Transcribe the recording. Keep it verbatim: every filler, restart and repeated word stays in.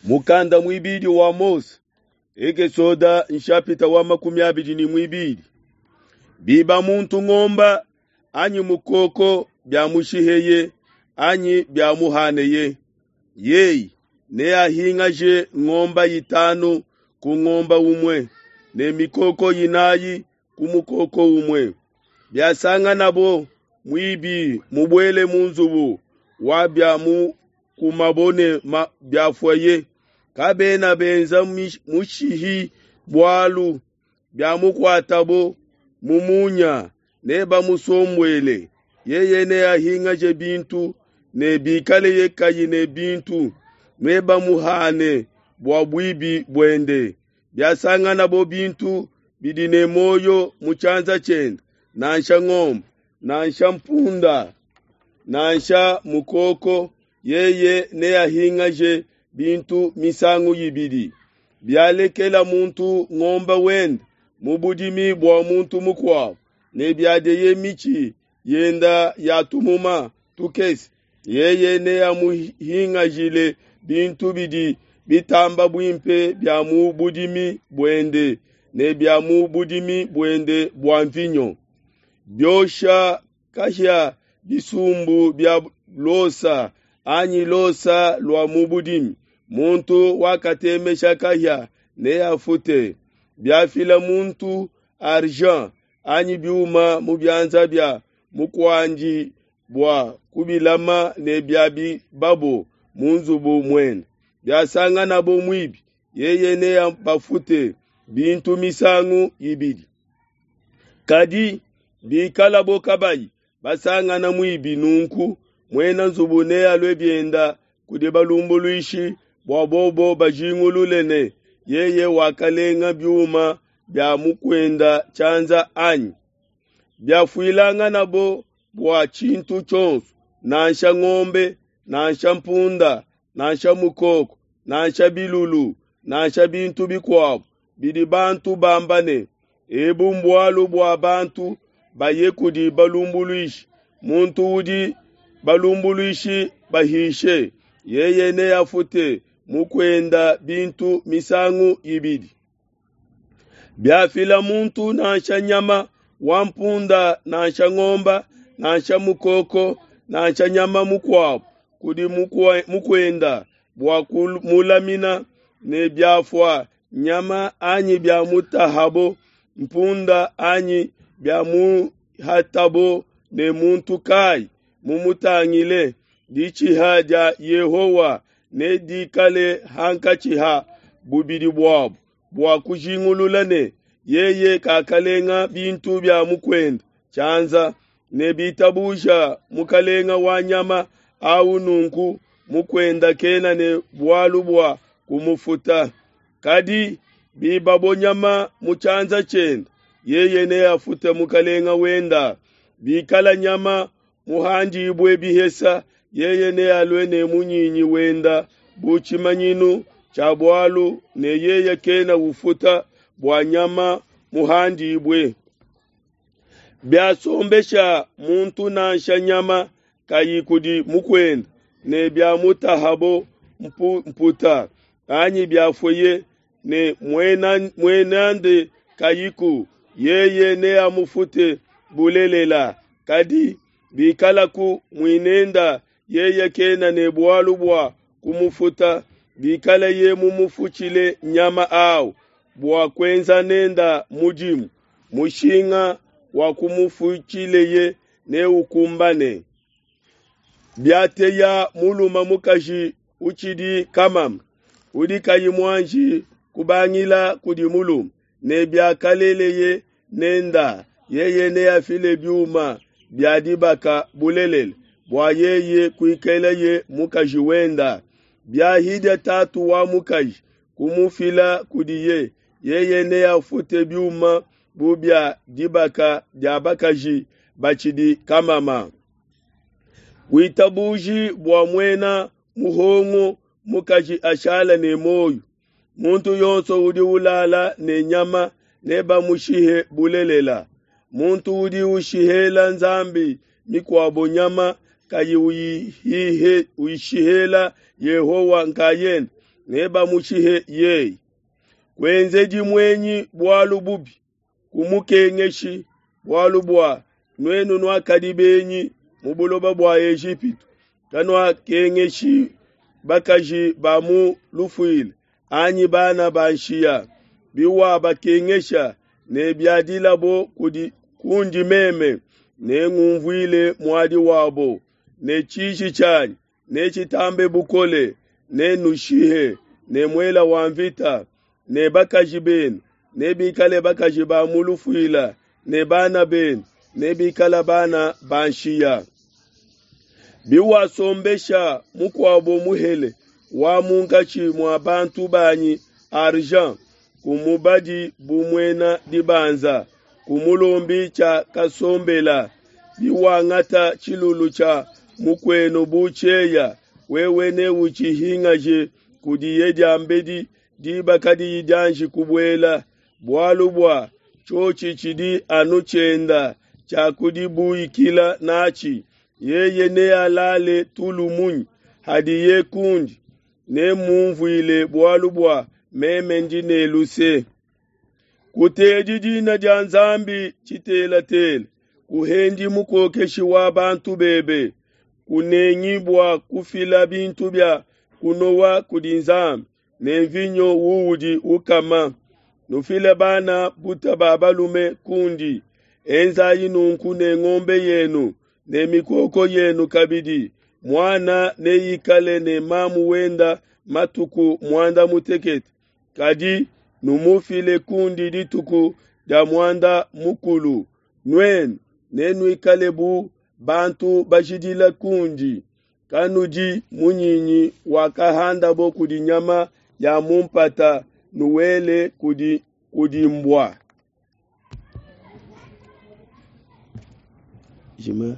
Mukanda muibidi wa Mose, Ekesoda nshapita wa makumi abidi ne muibidi. Biba muntu ngomba anyi mukoko biamushiheye anyi biamuhaneye, yeye neahingaje ngomba itanu ku ngomba umue ne mikoko inayi ku mukoko umue. Biasanganabo muibi mubuele mu nzubu wa bia mukumabo ne biafueye, kabena benza mushihi bualu, biamukuatabo mu munya nebamusombuele. Yeye neahingaje bintu, ne bikaleye kayi ne bintu, nebamuhane bua buibi buende. Biasanganabo bintu bidi ne muoyo mu tshianza tshiende, nansha ngombe, nansha mpunda, nansha mukoko, yeye neahingaje bintu misangu ibidi. Bialekela muntu ngombe wende mu budimi bua muntu mukuabo, ne biadieye mitshi yenda ya tumuma tukese, yeye neamuhingajile bintu bidi bitamba buimpe bia mu budimi buende ne bia mu budimi buende bua mvinyo. Biosha kahia bisumbu bia losa anyi losa lua mu budimi, muntu wakatemesha kahia neafute. Biafila muntu argent anyi biuma mu bianza bia mukuandi bua kubilama ne biabibabo mu nzubu muende, biasanganabo muibi, yeye neabafute bintu misangu ibidi. Kadi bikalabo kabayi basangana muibi, nunku muena nzubu nealue bienda kudi balumbuluishi bua bobo bajingulule ne yeye wakalenga biuma bia mukuenda tshianza anyi. Biafuilanganabo bua tshintu tshionso, nansha ngombe, nansha mpunda, nansha mukoko, nansha bilulu, nansha bintu bikuabo bidi bantu bamba ne, ebu mbualu bua bantu, baye kudi balumbuluishi. Muntu udi balumbuluishi bahishe, yeye neafute mukuenda bintu misangu ibidi. Biafila muntu nansha nyama wa mpunda, nansha ngomba, nansha mukoko, nansha nyama mukuabo kudi mukuenda bua kumulamina, ne biafua nyama anyi biamutahabo mpunda anyi biamuhatabo ne muntu kai mumutangile, ditshiha dia Yehowa nedikale hankatshi ha bubidi buabo bua kujingulula ne yeye kakalenga bintu bia mukuenda tshianza, ne bitabuja mukalenga wa nyama au, nunku mukuenda kena ne bualu bua kumufuta. Kadi bibabo nyama mu tshianza tshiende, yeye neafute mukalenga wenda. Bikala nyama muhandibue bihesa, yeye nealue ne munyinyi wenda bu tshimanyinu tshia bualu, ne yeye kena ufuta bua nyama muhandibue. Biasombesha muntu nansha nyama kayi kudi mukuenda, ne biamutahabo mputa anyi biafueye ne muenande kayiku, yeye neamufute bulelela. Kadi bikalaku muinenda, yeye kena ne bualu bua kumufuta, bikaleye mumufutshile nyama au bua kuenza nenda mudimu, mushinga wa kumufutshileye neukumbane. Biateya mulume mukaji utshidi kamama, udi kayi muanji kubangila kudi mulume, ne biakaleleye nenda, yeye neafile biuma bia dibaka bulelela bua yeye kuikaleye mukaji wenda. Biahidia tatu wa mukaji kumufila kudiye, yeye neafute biuma bu bia dibaka dia bakaji batshidi kamama. Kuitabuji bua muena muhongo mukaji ashala ne muoyo. Muntu yonso udi ulala ne nyama nebamushihe bulelela. Muntu udi ushihela nzambi mikuabo nyama kayi uyishihela Yehowa nkayende, nebamushihe yeye. Kuenzedi muenyi bualu bubi, kumukengeshi, bualu bua nuenu nuakadi benyi mu buloba bua Ejipitu. Kanuakengeshi bakaji ba mu lufuila anyi bana ba nshiya. Biwabakengesha ne biadilabo kudi kundi meme, nengumvuile muadi wabo, ne tshiji tshianyi netshitambe bukole, nenushihe ne muele wa mvita, ne bakaji benu nebikale bakaji ba mu lufuila, ne bana benu nebikale bana ba nshiya. Biwasombesha mukuabo muhele wa munkatshi mua bantu banyi argent, kumubadi bu muena dibanza, kumulombi tshia kasombela. Biwangata tshilulu tshia mukuenu bu tshieya, wewe neutshihingaje kudiye diambedi diba kadiyi dianji kubuela, bualu bua tshiotshi tshidi anu tshienda tshia kudibuikila natshi. Yeye nealale tulu munyi hadiye kundi? Nemumvuile bualu bua meme ndi ne luse. Kutedi dina dia Nzambi tshitelatela, kuhendi mukokeshi wa bantu bebe. Kunengi bua kufila bintu bia kunowa kudi Nzambi ne mvinyo uudi ukama. Nufile bana buta ba balume kundi. Enzayi nunku ne ngombe yenu ne mikoko yenu kabidi. Muana neikale ne mamu wenda matuku muanda mutekete, kadi numufile kundi dituku dia muanda mukulu. Nuenu nenuikale bu bantu bajidila kundi. Kanudi munyinyi wakahandabo kudi nyama ya mu mpata, nuwele kudi, kudi mbua. Jima.